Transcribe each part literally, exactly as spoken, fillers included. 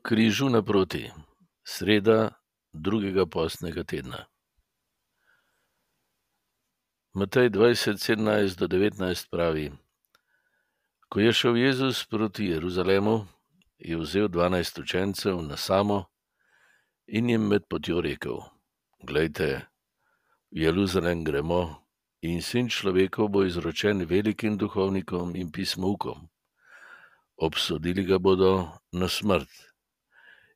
križu naproti, sreda drugega postnega tedna. Matej dvajset, sedemnajst do devetnajst pravi: Ko je šel Jezus proti Jeruzalemu, je vzel dvanajst učencev na samo in jim med potjo rekel: Glejte, v Jeruzalem gremo in sin človekov bo izročen velikim duhovnikom in pismoukom. Obsodili ga bodo na smrt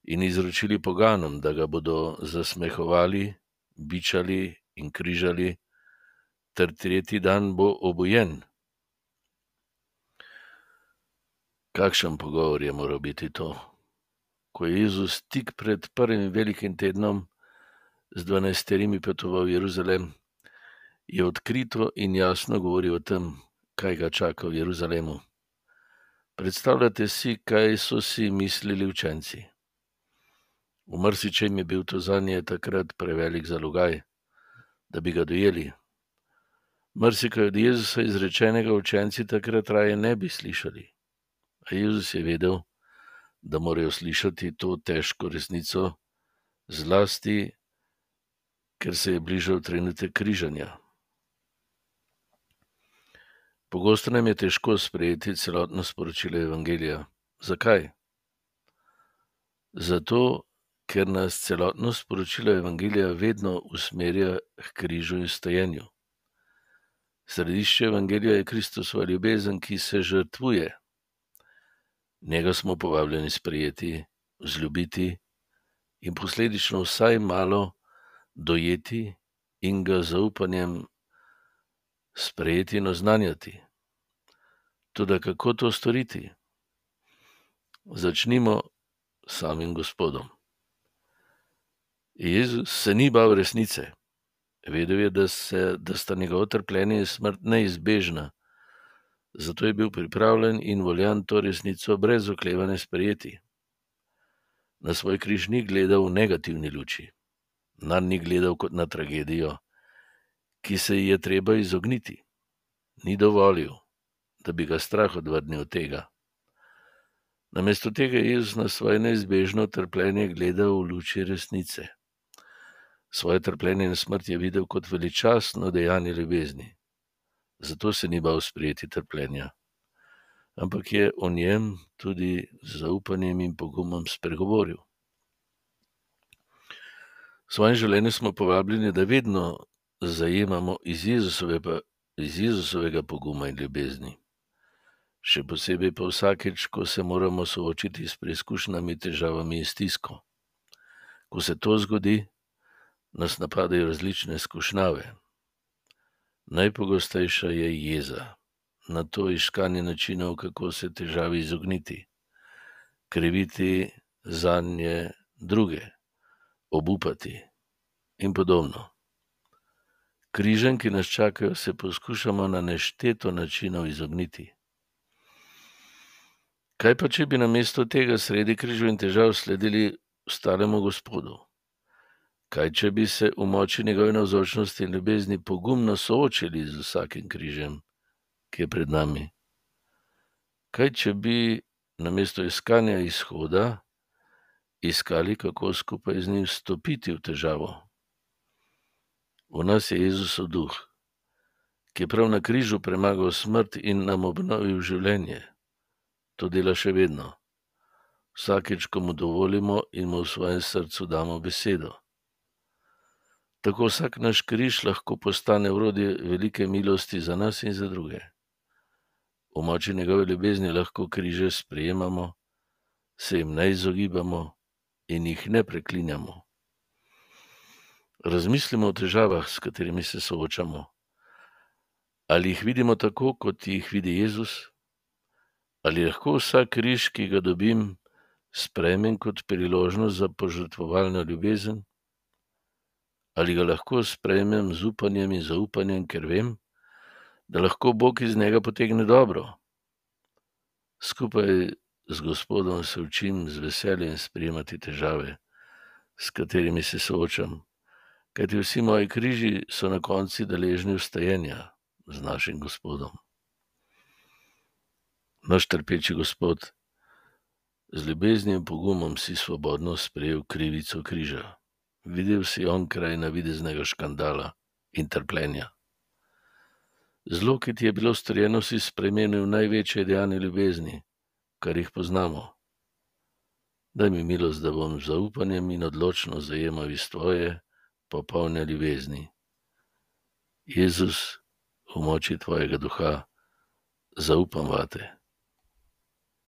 in izročili poganom, da ga bodo zasmehovali, bičali in križali, ter tretji dan bo obujen. Kakšen pogovor je moral biti to? Ko je Jezus tik pred prvim velikim tednom z dvanajsterimi potoval v Jeruzalem, je odkrito in jasno govoril o tem, kaj ga čaka v Jeruzalemu. Predstavljate si, kaj so si mislili učenci. V marsičem je bil to zanje takrat prevelik zalogaj, da bi ga dojeli. Marsikaj od Jezusa izrečenega učenci takrat raje ne bi slišali. A Jezus je vedel, da morajo slišati to težko resnico, zlasti, ker se je bližal trenutek križanja. Pogosto nam je težko sprejeti celotno sporočilo Evangelija. Zakaj? Zato, ker nas celotno sporočilo Evangelija vedno usmerja k križu in stojenju. Središče Evangelija je Kristusova ljubezen, ki se žrtvuje. Njega smo povabljeni sprejeti, vzljubiti in posledično vsaj malo dojeti in ga z zaupanjem sprejeti in oznanjati. Toda kako to storiti? Začnimo s samim Gospodom. Jezus se ni bal resnice. Vedel je, da, se, da sta njegovo trpljenje in smrt neizbežna, zato je bil pripravljen in voljan to resnico brez oklevanja sprejeti. Na svoj križ ni gledal v negativni luči, nanj ni gledal kot na tragedijo, ki se ji je treba izogniti. Ni dovolil, da bi ga strah odvrnil od tega. Namesto tega je Jezus na svoje neizbežno trpljenje gledal v luči resnice. Svoje trpljenje in smrt je videl kot veličastno dejanje ljubezni. Zato se ni bal sprejeti trpljenja, ampak je o njem tudi z zaupanjem in pogumom spregovoril. V svojem življenju smo povabljeni, da vedno zajemamo iz Jezusovega, iz Jezusovega poguma in ljubezni. Še posebej pa vsakeč, ko se moramo soočiti s preizkušnjami, težavami in stisko. Ko se to zgodi, nas napadajo različne skušnjave. Najpogostejša je jeza, na to iskanje načinov, kako se težavi izogniti, kriviti zanje druge, obupati in podobno. Križem, ki nas čakajo, se poskušamo na nešteto načinov izogniti. Kaj pa, če bi namesto tega sredi križev in težav sledili ostalemu Gospodu? Kaj, če bi se v moči njegove navzočnosti in ljubezni pogumno soočili z vsakim križem, ki je pred nami? Kaj, če bi namesto iskanja izhoda iskali, kako skupaj z njim stopiti v težavo? V nas je Jezusov duh, ki je prav na križu premagal smrt in nam obnovil življenje. To dela še vedno. Vsakeč, ko mu dovolimo in mu v svojem srcu damo besedo. Tako vsak naš križ lahko postane orodje velike milosti za nas in za druge. V moči njegove ljubezni lahko križe sprejemamo, se jim ne izogibamo in jih ne preklinjamo. Razmislimo o težavah, s katerimi se soočamo. Ali jih vidimo tako, kot jih vidi Jezus? Ali lahko vsak križ, ki ga dobim, sprejmem kot priložnost za požrtvovalno ljubezen? Ali ga lahko sprejmem z upanjem in zaupanjem, ker vem, da lahko Bog iz njega potegne dobro? Skupaj z Gospodom se učim z veseljem sprejemati težave, s katerimi se soočam, kajti vsi moji križi so na koncu deležni vstajenja z našim Gospodom. Naš trpeči Gospod Z ljubeznijo in pogumom si svobodno sprejel krivico križa. Videl si onkraj navideznega škandala in trpljenja. Zlo, ki ti je bilo storjeno, si spremenil v največje dejanje ljubezni, kar jih poznamo. Daj mi milost, da bom z zaupanjem in odločno zajemal iz tvoje popolne ljubezni. Jezus, v moči tvojega duha, zaupam vate.